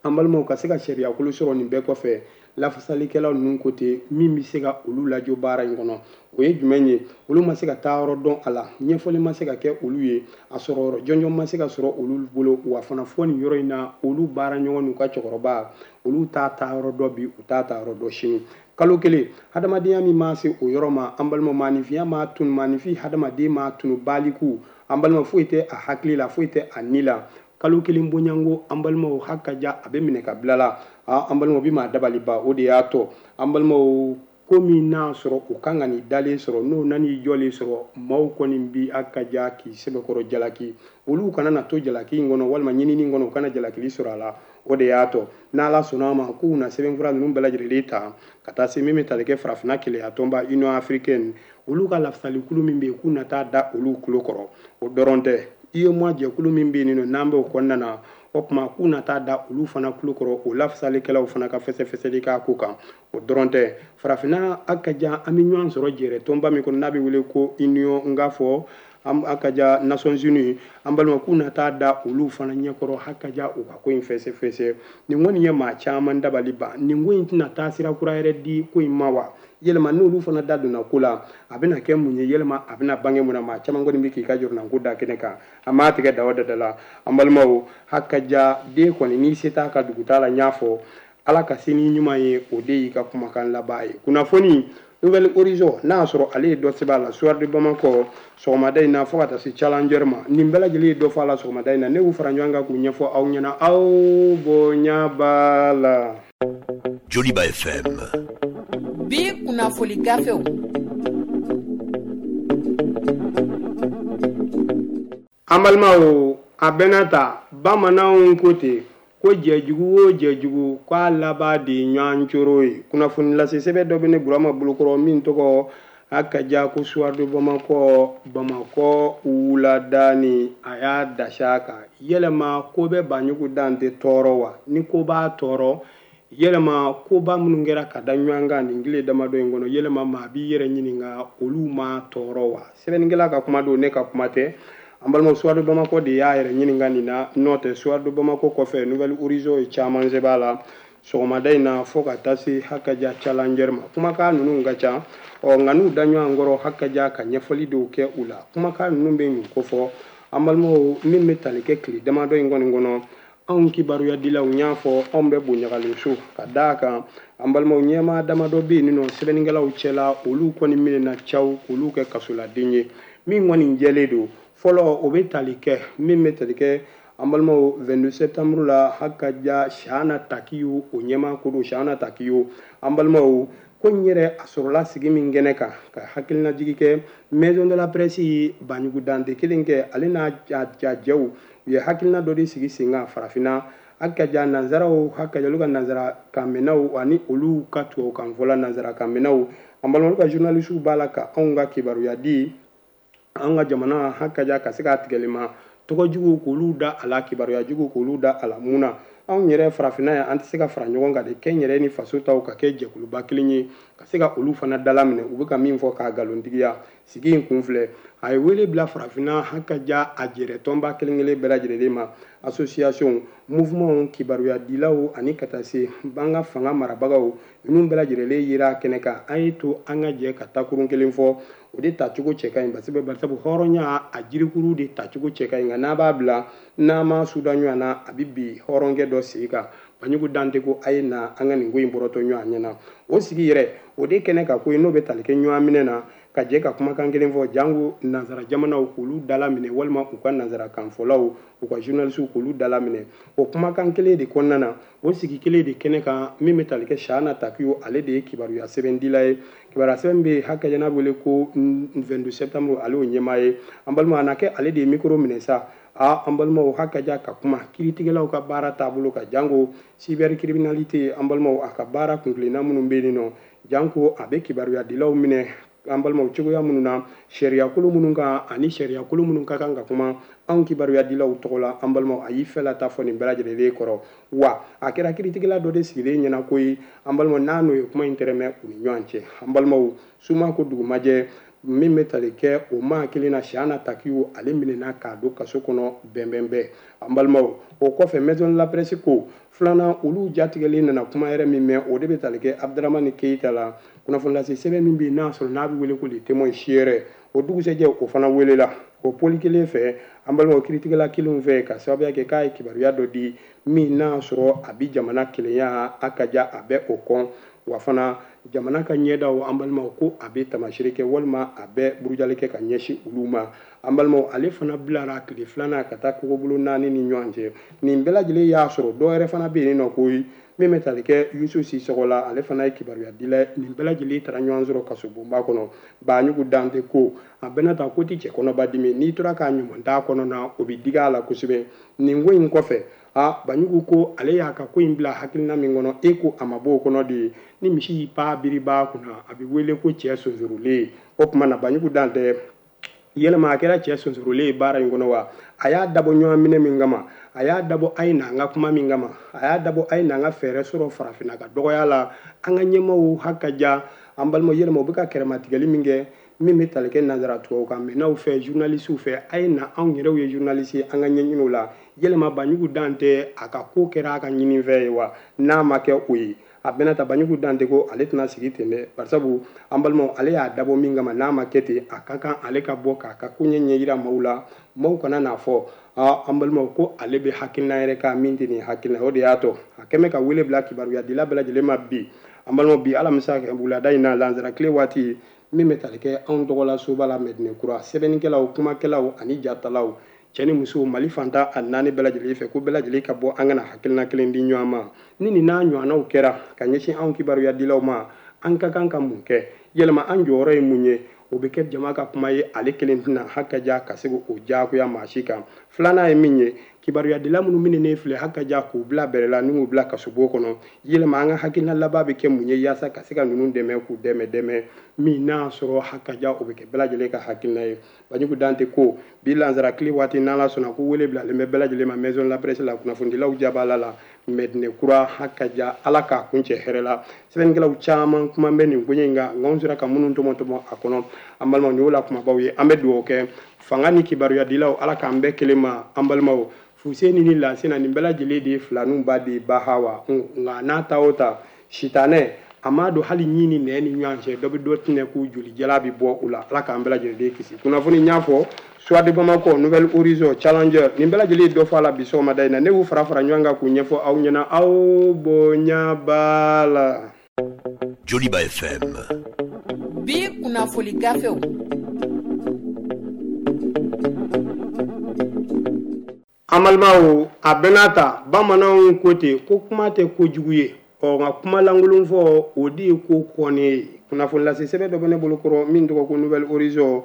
An balimaw, ka se ka sariyakolo sɔrɔ nin bɛɛ kɔfɛ, lafasalikɛlaw ninnu ko ten, min bɛ se ka olu lajɔ baara in kɔnɔ, o ye jumɛn ye? Olu ma se ka taa yɔrɔ dɔn a la, ɲɛfɔli ma se ka kɛ olu ye, a sɔrɔ yɔrɔ jɔnjɔn ma se ka sɔrɔ olu bolo. Wa fana fɔ nin yɔrɔ in na, olu baara ɲɔgɔn n'u ka cɛkɔrɔba, olu t'a taa yɔrɔ dɔn bi, u t'a taa yɔrɔ dɔn sini. Kalo kelen hadamadenya min ma se o yɔrɔ ma, an balimaw, maaninfinya ma tunu, maaninfin hadamaden ma tunu baliku, an balimaw, foyi tɛ a hakili la, foyi tɛ a ni la. Kalo kelen bonyanko, an balimaw, haka ja a bɛ minɛ ka bila la, an balimaw, bi maa dabali ba. O de y'a tɔ, an balimaw, ko min n'a sɔrɔ u kan ka nin dalen sɔrɔ, n'o nan'i jɔlen sɔrɔ, maaw kɔni bi haka ja k'i sɛbɛkɔrɔ jalaki, olu kana na to jalaki in kɔnɔ walima ɲinini kɔnɔ, u kana jalakili sɔrɔ a la. O de y'a tɔ, n'Ala sɔnna a ma, k'u na sɛbɛnfura ninnu bɛɛ lajɛlen ta ka taa se min bɛ tali kɛ farafinna keleya tɔnba Union africaine, olu ka lafasalikulu min bɛ yen, k'u na taa da olu tulo kɔrɔ. O dɔrɔn tɛ, UEMOA jɛkulu min bɛ yen nɔ, n'an bɛ o kɔnɔna na, o tuma k'u na taa da olu fana tulo kɔrɔ, o lafasalikɛlaw fana ka fɛsɛfɛsɛli k'a ko kan. O dɔrɔn tɛ, farafinna a ka jan, an bɛ ɲɔgɔn sɔrɔ jɛrɛ tɔnba min kɔnɔ, n'a bɛ wele ko Union, n k'a fɔ a ka ja Nations Unies, an balima, k'u na taa da olu fana ɲɛkɔrɔ, haka ja u ka ko in fɛsɛfɛsɛ. Nin kɔni ye maa caman dabali ban. Nin ko in tɛna taa sira kura yɛrɛ di ko in ma wa? Yɛlɛma n'olu fana da donna ko la, a bɛna kɛ mun ye? Yɛlɛma a bɛna bange mun na? Maa caman kɔni bɛ k'i ka jɔrɔnanko da kɛnɛ kan, a m'a tigɛ da o da la. An balimaw, haka ja den kɔni n'i se t'a ka dugu t'a la, n y'a fɔ, Ala ka se ni ɲuman ye, o de y'i ka kumakan laban ye. Kunnafoni Nouvel Horizon, n'a y'a sɔrɔ ale ye dɔ sɛbɛn a la Soir de Bamako sɔgɔmada in na, fo ka taa se Challenger ma, nin bɛɛ lajɛlen ye dɔ fɔ a la sɔgɔmada in na. Ne y'u fara ɲɔgɔn kan k'u ɲɛfɔ aw ɲɛna, aw bonya b'a la. Joliba F M. Bi kunnafoni gafew. An balimaw, a bɛnna ta, bamananw ko ten ko jɛjugu o jɛjugu k'a laban de ye ɲɔgɔn coro ye. Kunnafoni lase sɛbɛn dɔ bɛ ne Burama bolokɔrɔ min tɔgɔ a ka ja ko Soir de Bamako, Bamakɔ wuladani, a y'a dasi a kan. Yɛlɛma ko bɛ Banjugu dan tɛ tɔɔrɔ wa? Ni ko b'a tɔɔrɔ, yɛlɛma koba minnu kɛra ka da ɲɔgɔn kan nin tile damadɔ in kɔnɔ, yɛlɛma maa b'i yɛrɛ ɲininka olu ma tɔɔrɔ wa? Sɛbɛnnikɛla ka kuma don, ne ka kuma tɛ. An balimaw, Soir de Bamako de y'a yɛrɛ ɲininka nin na. N'o tɛ, Soir de Bamako kɔfɛ, Nouvel Horizon ye caman sɛbɛn a la sɔgɔmada in na, fo ka taa se haka ja Challenger ma. Kumakan ninnu ka ca, ɔ nka n'u da ɲɔgɔn kɔrɔ, haka ja ka ɲɛfɔli dɔw kɛ u la. Kumakan ninnu bɛ mun kofɔ? An balimaw, min bɛ tali kɛ tile damadɔ in kɔni kɔnɔ, anw kibaruyadilaw y'a fɔ, anw bɛ bonyagalen so ka d'a kan. An balimaw, ɲɛmaa damadɔ bɛ yen nɔ sɛbɛnnikɛlaw cɛla, olu kɔni minɛna caw k'olu kɛ kasoladen ye. Min kɔni jɛlen don fɔlɔ, o bɛ tali kɛ min bɛ tali kɛ, an balimaw, vingt-deux septembre la, hakaja Chahana Takiou, o ɲɛmaa ko don. Chahana Takiou, an balimaw, ko n yɛrɛ a sɔrɔla sigi min kɛnɛ kan ka hakilinajigi kɛ maison de la presse, Banjugu Dante kelen kɛ, ale n'a jɛw, u ye hakilina dɔ de sigi sen kan farafinna, hakaja nanzaraw, hakaja olu ka nanzara kanmɛnnaw ani olu ka tubabukan fɔla nanzara kanmɛnnaw. An balimaw, ka journalistes b'a la ka anw ka kibaruya di an ka jamana, hakaja ka se k'a tigɛli ma tɔgɔ jugu k'olu da a la, kibaruya jugu k'olu da a la. Mun na anw yɛrɛ farafinna yan, an tɛ se ka fara ɲɔgɔn kan de kɛ n yɛrɛ ni faso taw ka kɛ jɛkuluba kelen ye, ka se ka olu fana dalaminɛ u bɛ ka min fɔ k'a nkalontigiya? Sigi in kun filɛ, a ye wele bila farafinna, hakaja a jɛrɛ tɔnba kelen kelen bɛɛ lajɛlen ma, association, mouvement, kibaruya dilaw ani ka taa se an ka fanga marabagaw, ninnu bɛɛ lajɛlen yera kɛnɛ kan. An ye to an ka jɛ ka takurun kelen fɔ, o de tacogo cɛ ka ɲi, parce que barisabu hɔrɔnya a jirikuru de tacogo cɛ ka ɲi. Nka n'a b'a bila n'a ma suda ɲɔgɔn na, a bɛ bi hɔrɔnkɛ dɔ sigi kan. Banjugu Dante ko a ye na an ka nin ko in bɔrɔtɔ ɲɔgɔn ɲɛna. O sigi yɛrɛ, o de kɛnɛ ka ko ye, n'o bɛ tali kɛ ɲɔgɔn minɛ na, ka jɛ ka kumakan kelen fɔ, jango nanzara jamanaw k'olu dala minɛ, walima u ka nanzara kanfɔlaw, u ka journalistes k'olu dala minɛ. O kumakan kelen de kɔnɔna na, o sigi kelen de kɛnɛ kan, min bɛ tali kɛ Chahana Takiou, ale de ye kibaruya sɛbɛndila ye. Kibaruya sɛbɛn bɛ hakɛ n'a wele ko vingt-deux septembre, ale y'o ɲɛmaa ye. An balima, a na kɛ ale de ye micro minɛ sa. A an balimaw, hakaja ka kuma kiiritigɛlaw ka baara taabolo ka, jango cybercriminalité. An balimaw, a ka baara kunkilenna minnu bɛ yen nɔ, janko a bɛ kibaruyadilaw minɛ, an balimaw, cogoya minnu na, sariyakolo minnu kan ani sariyakolo minnu ka kan ka kuma anw kibaruyadilaw tɔgɔ la. An balimaw, a y'i fɛla ta fɔ nin bɛɛ lajɛlen kɔrɔ. Wa a kɛra kiiritigɛla dɔ de sigilen ɲɛna ko ye, an balimaw, n'a n'o ye kuma in tɛrɛmɛ u ni ɲɔgɔn cɛ. An balimaw, suma ko dugumajɛ, min bɛ tali kɛ o maa kelen na, Chahana Takiou, ale minɛna k'a don kaso kɔnɔ bɛnbɛnbɛn. An balimaw, o kɔfɛ, maison de la presse ko filanan, olu jatigɛlen nana kuma yɛrɛ min mɛn, o de bɛ tali kɛ Abdramani Keita la, kunnafoni lase sɛbɛn min bɛ yen n'a sɔrɔ n'a bɛ wele ko Le Témoin Siyɛrɛ. O dugusɛjɛ, o fana welela o poli kelen fɛ, an balimaw, kiiritigɛla kelenw fɛ, ka sababuya kɛ k'a ye kibaruya dɔ di min n'a sɔrɔ a bɛ jamana kelenya, a ka ja a bɛ o kɔn, wa fana jamana ka ɲɛdaw, an balimaw, ko a bɛ tamasere kɛ walima a bɛ burujali kɛ ka ɲɛsin olu ma. An balimaw, ale fana bilara tile filanan ka taa kogobolo naani ni ɲɔgɔn cɛ. Nin bɛɛ lajɛlen y'a sɔrɔ dɔw yɛrɛ fana bɛ yen nɔ koyi, min bɛ tali kɛ Yusu Sisɔgɔ la, ale fana ye kibaruya dila ye. Nin bɛɛ lajɛlen taara ɲɔgɔn sɔrɔ kasobonba kɔnɔ. Banjugu Dante ko a bɛna ta ko ti cɛ kɔnɔba dimi, n'i tora k'a ɲuman t'a kɔnɔ na, o bɛ digi a la kosɛbɛ. Nin ko in kɔfɛ, a Banjugu ko ale y'a ka ko in bila hakilina min kɔnɔ, e ko a ma bɔ o kɔnɔ de ye, ni misi y'i pa biriba kunna, a bɛ wele ko cɛ sonsorolen. O tuma na, Banjugu Dante, yɛlɛma a kɛra cɛ sonsorolen ye baara in kɔnɔ wa? A y'a dabɔ ɲɔgɔn minɛ min kama, a y'a dabɔ a ye n'an ka kuma min kama, a y'a dabɔ a ye n'an ka fɛɛrɛ sɔrɔ farafinna ka dɔgɔya la, an ka ɲɛmaaw hakaja, an balimaw, yɛlɛma u bɛ ka kɛrɛmatigɛli min kɛ, min bɛ tali kɛ nanzara tubabukan mɛnnaw fɛ, journalistes fɛ, a ye na anw yɛrɛw ye journaliste ye, an ka ɲɛɲini o la. Yɛlɛma Banjugu Dante a ka ko kɛra a ka ɲinifɛn ye wa? N'a ma kɛ o ye, a bɛna ta Banjugu Dante ko ale tɛna sigi ten dɛ, barisabu an balimaw, ale y'a dabɔ min kama, n'a ma kɛ ten, a ka kan ale ka bɔ k'a ka koɲɛ ɲɛ yira maaw la, maaw kana n'a fɔ aa, an balimaw, ko ale bɛ hakilina yɛrɛ kan min tɛ nin hakilina. O de y'a to a kɛn bɛ ka wele bila kibaruyadila bɛɛ lajɛlen ma bi. An balimaw, bi alamisa wulada in na, lansara tile waati, min bɛ tali kɛ anw tɔgɔla soba la Mɛdinɛ Kura, sɛbɛnnikɛlaw, kumakɛlaw ani jatalaw, cɛ ni muso, Mali fantan a naani bɛɛ lajɛlen fɛ, ko bɛɛ lajɛlen ka bɔ, an kana hakilina kelen di ɲɔgɔn ma. Ni nin n'a ɲɔgɔnnaw kɛra ka ɲɛsin anw kibaruyadilaw ma, an ka kan ka mun kɛ? Yɛlɛma an jɔyɔrɔ ye mun ye? O bɛ kɛ jama ka kuma ye, ale kelen tɛna hakaja ka se k'o diyagoya maa si kan. Filanan ye min ye, kibaruyadila minnu minɛnen filɛ, hakaja k'u bila bɛrɛ la ni k'u bila kasobon kɔnɔ, yɛlɛma an ka hakilina laban bɛ kɛ mun ye yaasa ka se ka ninnu dɛmɛ, k'u dɛmɛ dɛmɛ min n'a sɔrɔ hakaja o bɛ kɛ bɛɛ lajɛlen ka hakilina ye. Banjugu Dante ko bi lansara tile waati, n'Ala sɔnna, ko wele bilalen bɛ bɛɛ lajɛlen ma maison de la presse la, kunnafonidilaw jabala la Mɛdinɛ Kura. Hakaja Ala k'a kun cɛ hɛrɛ la. Sɛbɛnnikɛlaw caman kuma bɛ nin koɲɛ in kan, nka anw sera ka minnu tɔmɔ tɔmɔ a kɔnɔ, an balimaw, nin y'o la kumabaw ye. An bɛ dugawu kɛ fanga ni kibaruyadilaw, Ala k'an bɛɛ kelen ma. An balimaw, Fuseni ni Lasina, nin bɛɛ lajɛlen de ye filaninw ba de ye Bahawa. Nka n'a ta o ta, sitanɛ a m'a don hali ɲi ni nɛ ni ɲɔgɔn cɛ, dɔ bɛ dɔ tinɛ k'u joli jala bɛ bɔ u la. Ala k'an bɛɛ lajɛlen kisi. Kunnafoni n y'a fɔ, Soir de Bamako, Nouvel Horizon, Challenger, nin bɛɛ lajɛlen ye dɔ fɔ a la bi sɔgɔmada in na. Ne y'u fara fara ɲɔgɔn kan k'u ɲɛfɔ aw ɲɛna, aw bonya b'a la. Joliba F M. Bi kunnafoni gafew. An balimaw, a bɛɛ n'a ta, bamananw ko ten ko kuma tɛ kojugu ye. Ɔ nka kuma lankolon fɔ, o de ye ko kɔnnen ye. Kunnafoni lase sɛbɛn dɔ bɛ ne bolo kɔrɔ min tɔgɔ ko Nouvelle Horizon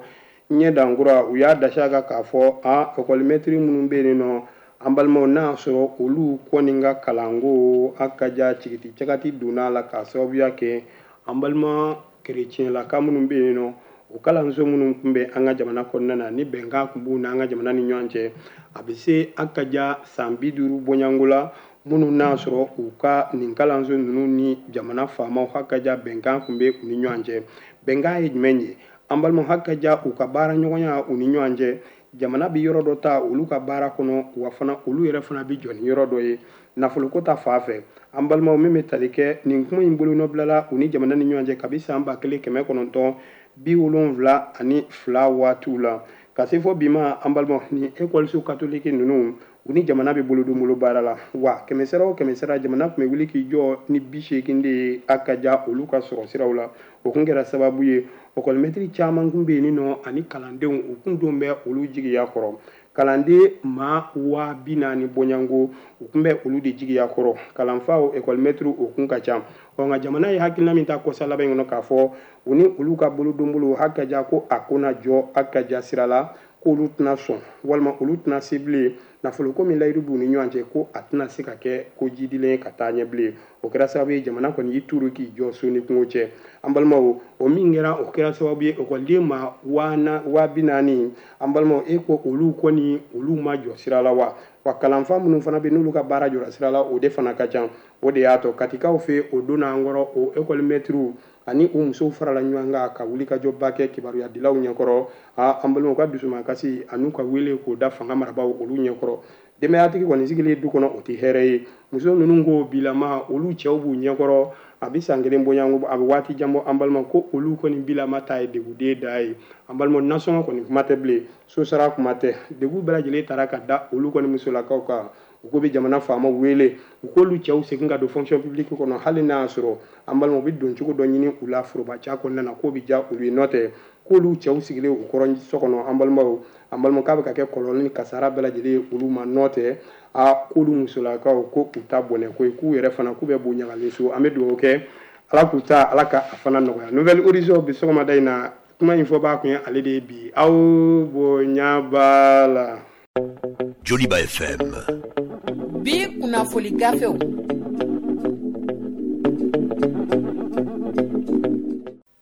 ɲɛ dankura. U y'a dasi a kan k'a fɔ a ekɔlimɛtiri minnu bɛ yen nɔ, an balimaw, n'a y'a sɔrɔ olu kɔni ka kalanko a ka ja cigiti cagati donna a la k'a sababuya kɛ an balima kerecɛnlaka minnu bɛ yen nɔ, o kalanso minnu tun bɛ an ka jamana kɔnɔna na ni bɛnkan tun b'u n'an ka jamana ni ɲɔgɔn cɛ, a bɛ se a ka ja san bi duuru bɔɲɔgɔnko la, minnu n'a sɔrɔ u ka nin kalanso ninnu ni jamana faamaw ha ka ja bɛnkan tun bɛ u ni ɲɔgɔn cɛ. Bɛnkan ye jumɛn ye? An balimaw, ha ka ja u ka baara ɲɔgɔnya u ni ɲɔgɔn cɛ, jamana bɛ yɔrɔ dɔ ta olu ka baara kɔnɔ, wa fana olu yɛrɛ fana bɛ jɔ ni yɔrɔ dɔ ye nafoloko ta fan fɛ. An balimaw, min bɛ tali kɛ nin kuma in bolonɔbilala u ni jamana ni ɲɔgɔn cɛ kabi san ba kelen kɛmɛ kɔnɔntɔn bi wolonwula ani fila waatiw la ka se fɔ bi ma. An balimaw, ni ekɔliso katoliki ninnu, u ni jamana bɛ bolodonbolo baara la, wa kɛmɛ sara o kɛmɛ sara, jamana tun bɛ wuli k'i jɔ ni bi seegin de ye a ka ja olu ka sɔrɔ siraw la. O kun kɛra sababu ye ekɔlimɛtiri caman kun bɛ yen nɔ ani kalandenw, u kun don bɛ olu jigiya kɔrɔ. Kalanden maa waa bi naani bɔɲɔgɔnko, u kun bɛ olu de jigiya kɔrɔ. Kalanfaw, ekɔlimɛtiriw, o kun ka ca. Ɔ nka jamana ye hakilina min ta kɔsa laban in kɔnɔ k'a fɔ u ni olu ka bolodonbolo ha ka ja ko a ko na jɔ a ka ja sira la, k'olu tɛna sɔn walima olu tɛna se bilen nafoloko min layidu b'u ni ɲɔgɔn cɛ, ko a tɛna se ka kɛ ko jidilen ye ka taa ɲɛ bilen. O kɛra sababu ye jamana kɔni y'i turu k'i jɔ so ni kungo cɛ. An balimaw, o min kɛra, o kɛra sababu ye ekɔliden ma waa bi naani, an balimaw, e ko olu kɔni olu ma jɔ sira la wa. Wa kalanfa minnu fana bɛ n'olu ka baara jɔra sira la, o de fana ka ca. O de y'a to katikaw fɛ o donna an kɔrɔ, o ekɔlimɛtiriw ani u musow farala ɲɔgɔn kan ka wuli ka jɔba kɛ kibaruyadilaw ɲɛkɔrɔ. A an balimaw ka dusumakasi an'u ka wele k'o da fanga marabaaw olu ɲɛkɔrɔ. Denbayatigi kɔni sigilen du kɔnɔ, o tɛ hɛrɛ ye. Muso ninnu ko bilama olu cɛw b'u ɲɛkɔrɔ, a bɛ san kelen bɔɲɔgɔnko, a bɛ waati jan bɔ. An balima, ko olu kɔni bilama ta ye deguden da ye. An balima, nasɔngɔ kɔni kuma tɛ bilen, sosara kuma tɛ, degun bɛɛ lajɛlen taara ka da olu kɔni musolakaw kan. U ko bɛ jamana faamaw wele u k'olu cɛw segin ka don fonction publique kɔnɔ, hali n'a y'a sɔrɔ an balima u bɛ don cogo dɔ ɲini u la foroba ca kɔnɔna na, k'o bɛ diya olu ye. N'o tɛ, k'olu cɛw sigilen u kɔrɔ so kɔnɔ, an balimaw, an balimaw, k'a bɛ ka kɛ kɔlɔlɔ ni kasara bɛɛ lajɛlen ye olu ma. N'o tɛ, a k'olu musolakaw ko u ta bɔnɛ ko ye, k'u yɛrɛ fana k'u bɛ bo ɲagalen so. An bɛ dugawu kɛ, Ala k'u ta, Ala ka a fana nɔgɔya. Nouvelle Horizon bi sɔgɔmada in na, kuma in fɔ b'a kun ye ale de ye bi. Aw bonya b'a la. Joliba F M. Bi kunnafoni gafew.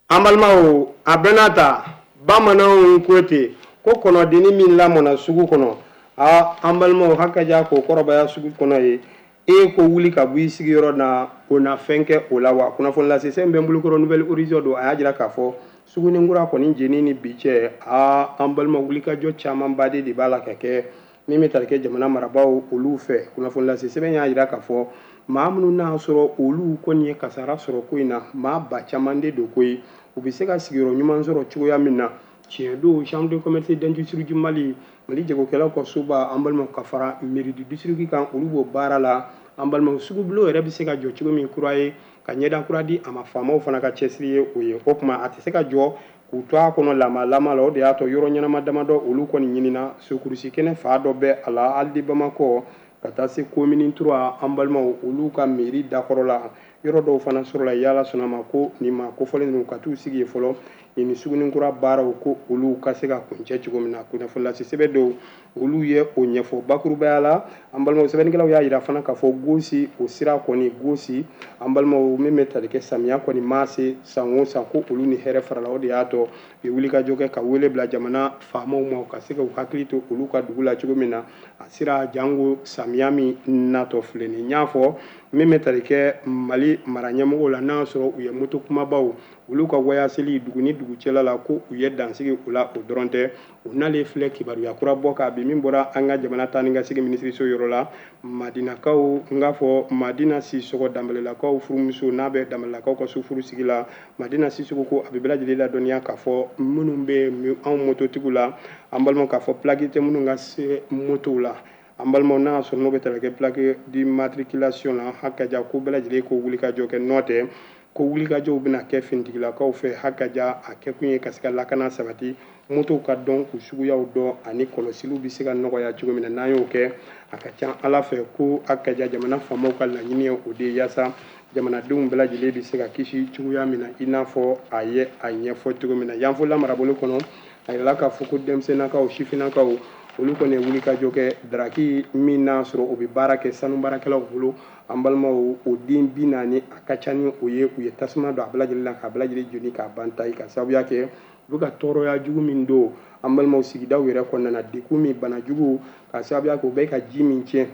An balimaw, a bɛɛ n'a ta, bamananw ko ten ko kɔnɔdenni min lamɔna sugu kɔnɔ, a an balimaw, haka ja k'o kɔrɔbaya sugu kɔnɔ ye, e ko wuli ka bɔ i sigiyɔrɔ na, o na fɛn kɛ o la wa. Kunnafoni lase sɛbɛn bɛ n bolokɔrɔ, Nouvelle Horizon don. A y'a jira k'a fɔ Sugunikura kɔni jeni ni bi cɛ, a an balima, wulikajɔ camanba de b'a la ka kɛ min bɛ tali kɛ jamana marabaaw olu fɛ. Kunnafoni lase sɛbɛn y'a jira k'a fɔ maa minnu n'a sɔrɔ olu kɔni ye kasara sɔrɔ ko in na, maa ba caman de don koyi, u bɛ se ka sigiyɔrɔ ɲuman sɔrɔ cogoya min na. Tiɲɛ don, Chambre de commerce d'industrie du Mali, Mali jagokɛlaw ka soba, an balimaw, ka fara mairie du district kan, olu b'o baara la. An balimaw, sugubulon yɛrɛ bɛ se ka jɔ cogo min kura ye ka ɲɛda kura di a ma, faamaw fana ka cɛsiri ye o ye. O tuma a tɛ se ka jɔ k'u to a kɔnɔ lama la. O de y'a to yɔrɔ ɲɛnama damadɔ olu kɔni ɲinina. Sokurusi kɛnɛ fa dɔ bɛ a la hali Bamakɔ ka taa se commune trois, an balimaw, olu ka mairie dakɔrɔ la, yɔrɔ dɔw fana sɔrɔla. Yala sɔnna ma ko nin ma kofɔlen ninnu ka t'u sigi yen fɔlɔ nin Sugunikura baaraw ko olu ka se ka kuncɛ cogo min na. Kunnafoni lase sɛbɛn dɔw olu ye o ɲɛfɔ bakurubaya la. An balimaw, sɛbɛnnikɛlaw y'a jira fana k'a fɔ gosi o sira kɔni gosi, an balimaw, min bɛ tali kɛ samiya kɔni maa se san o san ko olu ni hɛrɛ farala. O de y'a to u ye wulikajɔ kɛ ka wele bila jamana faamaw ma, u ka se ka u hakili to olu ka dugu la cogo min na, a sira jango samiya min natɔ filɛ nin. N y'a fɔ min bɛ tali kɛ Mali mara ɲɛmɔgɔw la, n'a y'a sɔrɔ u ye moto kumabaw olu ka wayaseli dugu ni dugu cɛla la, ko u ye dansigi o la. O dɔrɔn tɛ, u nalen filɛ kibaruya kura bɔ k'a bi min bɔra an ka jamana taa ni ka segin minisiriso yɔrɔ la, Madinakaw, n k'a fɔ Madina Sisɔgɔ, Danbɛlɛlakaw furumuso n'a bɛ Danbɛlɛlakaw ka so furu sigi la, Madina Sisɔgɔ ko a bɛ bɛɛ lajɛlen ladɔnniya k'a fɔ minnu bɛ anw mototigiw la, an balimaw, k'a fɔ plaque tɛ minnu ka se motow la, an balimaw, n'a y'a sɔrɔ n'o bɛ tali kɛ plaque d'immatriculation la, hakaja ko bɛɛ lajɛlen ko wuli ka jɔ kɛ. N'o tɛ ko wulikajɔw bɛna kɛ finitigilakaw fɛ hakaja a kɛkun ye ka se ka lakana sabati, motow ka dɔn k'u suguyaw dɔn ani kɔlɔsiliw bɛ se ka nɔgɔya cogo min na. N'an y'o kɛ a ka ca Ala fɛ ko hakaja jamana faamaw ka laɲini ye o de ye yaasa jamanadenw bɛɛ lajɛlen bɛ se ka kisi cogoya min na, i n'a fɔ a ye a ɲɛfɔ cogo min na. Yanfola marabolo kɔnɔ, a yirala k'a fɔ ko denmisɛnninnakaw, sifinnakaw, olu kɔni ye wulikajɔ kɛ daraki min n'a sɔrɔ o bɛ baara kɛ sanu baarakɛlaw bolo. An balimaw, o den bi naani a ka ca ni o ye, u ye tasuma don a bɛɛ lajɛlen la k'a bɛɛ lajɛlen jeni k'a ban ta ka sababuya kɛ u bɛ ka tɔɔrɔya jugu min don an balimaw sigidaw yɛrɛ kɔnɔna na, degun min, bana jugu, ka sababuya kɛ u bɛ ka ji min tiɲɛ.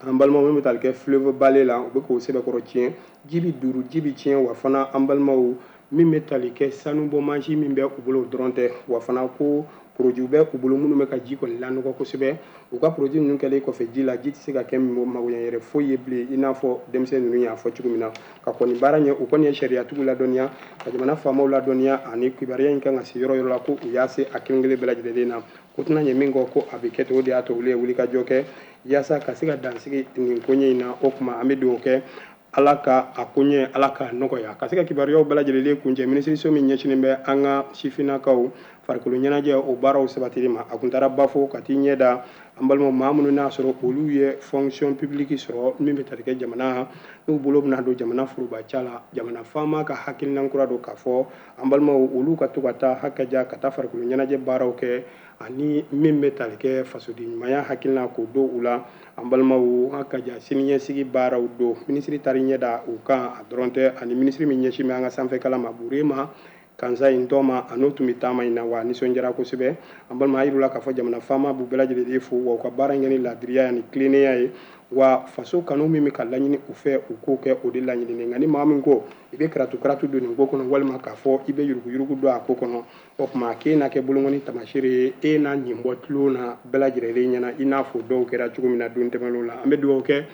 An balimaw, min bɛ tali kɛ fleuve Balé la, u bɛ k'o sɛbɛkɔrɔ tiɲɛ, ji bɛ duuru, ji bɛ tiɲɛ. Wa fana an balimaw, min bɛ tali kɛ sanubɔ mansin min bɛ u bolo o dɔrɔn tɛ, wa fana ko produit bɛ u bolo minnu bɛ ka ji kɔni lanɔgɔ kosɛbɛ. U ka produit ninnu kɛlen kɔfɛ ji la, ji tɛ se ka kɛ magoɲɛ yɛrɛ foyi ye bilen, i n'a fɔ denmisɛnnin ninnu y'a fɔ cogo min na. Ka kɔni baara ɲɛ, u kɔni ye sariyatigiw ladɔnniya, ka jamana faamaw ladɔnniya, ani kibaruya in kan ka se yɔrɔ yɔrɔ la ko u y'a se a kelen kelen bɛɛ lajɛlen na. Ko tɛna ɲɛ min kɔ ko a bɛ kɛ ten, o de y'a to olu ye wulikajɔ kɛ yaasa ka se ka dansigi nin koɲɛ in na. O tuma an bɛ dugawu kɛ Ala ka a koɲɛ, Ala ka nɔgɔya, ka se ka kibaruyaw bɛɛ lajɛlen kuncɛ. Minisiriso min ɲɛsinnen bɛ an ka sifinnakaw farikolo ɲɛnajɛ o baaraw sabatili ma, a kun taara Bafo ka t'i ɲɛ da an balimaw maa minnu n'a sɔrɔ olu ye fonction publique sɔrɔ min bɛ tali kɛ jamana n'u bolo bɛna don jamana foroba ca la. Jamana faama ka hakilina kura don k'a fɔ an balimaw olu ka to ka taa hakaja ka taa farikolo ɲɛnajɛ baaraw kɛ, ani min bɛ tali kɛ fasoden ɲumanya hakilina k'o don u la. An balimaw, hakaja siniɲɛsigi baaraw don. Minisiri taara ɲɛ da u kan a dɔrɔn tɛ, ani minisiri min ɲɛsin bɛ an ka sanfɛ kalan ma, Burema Kansa in tɔma, a n'o tun bɛ taama in na, wa nisɔndiyara kosɛbɛ. An balima, a yir'u la k'a fɔ jamana faama b'u bɛɛ lajɛlen fo, wa u ka baara in kɛ ni laadiriya ni tilennenya ye, wa faso kanu min bɛ ka laɲini u fɛ, u k'o kɛ o de laɲininen. Nka ni maa min ko i bɛ karatu karatu don nin ko kɔnɔ, walima k'a fɔ i bɛ yuruguyurugu don a ko kɔnɔ, o tuma k'e n'a kɛ bolonkɔni taamasere ye, e n'a ɲin bɔ tulon na bɛɛ lajɛlen ɲɛna, i n'a fɔ dɔw kɛra cogo min na don tɛmɛnenw la. An bɛ dugawu kɛ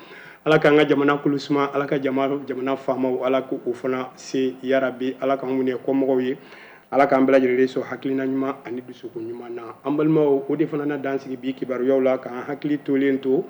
Ala k'an ka jamana kulu suma, Ala ka jamana faamaw, Ala k'o fana se yarabi, Ala k'an minɛ kɔmɔgɔw ye, Ala k'an bɛɛ lajɛlen sɔn hakilina ɲuman ani dusukun ɲuman na. An balimaw, o de fana na dan sigi bi kibaruyaw la, k'an hakili tolen to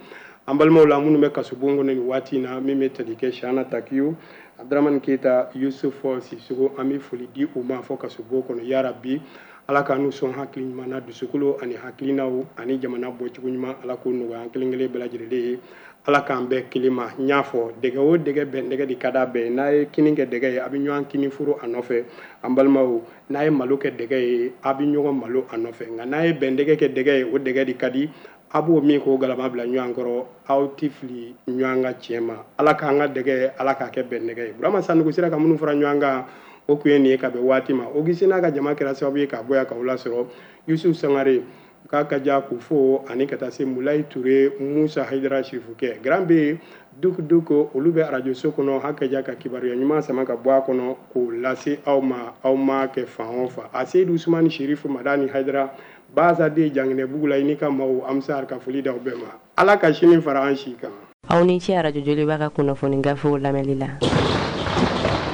an balimaw la minnu bɛ kasobon kɔnɔ nin waati in na, min bɛ tali kɛ Shana Takiyu, Abdramani Keyita, Yusuf Sisoko. An bɛ foli di u ma fɔ kasobon kɔnɔ yarabi. Ala k'an n'u sɔn hakili ɲuman na, dusukolo ani hakilinaw ani jamana bɔcogo ɲuman, Ala k'o nɔgɔya an kelen kelen bɛɛ lajɛlen ye. Ala k'an bɛɛ kelen ma. N y'a fɔ dɛgɛ o dɛgɛ bɛn dɛgɛ de ka d'a bɛɛ ye. N'a ye kini kɛ dɛgɛ ye, a bɛ ɲɔgɔn kini furu a nɔfɛ. An balimaw, n'a ye malo kɛ dɛgɛ ye, a bɛ ɲɔgɔn malo a nɔfɛ. Nka n'a ye bɛn dɛgɛ kɛ dɛgɛ ye, o dɛgɛ de ka di a b'o min k'o galama bila ɲɔgɔn kɔrɔ, aw tɛ fili ɲɔgɔn ka tiɲɛ ma. Ala k'an ka dɛgɛ, Ala k'a kɛ bɛn dɛgɛ ye. Burama Sanogo sera ka minnu fara ɲɔgɔn kan, o kun ye nin ye ka bɛn waati ma. Ogisi n'a ka jama kɛra sababu ye k'a bɔ yan k'aw lasɔrɔ. Yusuf Sangare k'a ka ja k'u fo, ani ka taa se Mulayi Ture, Musa Hayidara Sirifukɛ, Grand B Duk Duk, olu bɛ arajoso kɔnɔ hakaja ka kibaruya ɲuman sama ka bɔ a kɔnɔ k'o lase aw ma, aw ma kɛ fan o fan. A Seyidu Usumani Sirifu Madani Hayidara Baza den Janginɛbugu la, i n'i ka maaw, an bɛ se ka foli d'aw bɛɛ ma. Ala ka sini fara an si kan. Aw ni ce arajo Joliba ka kunnafoni gafew lamɛnli la.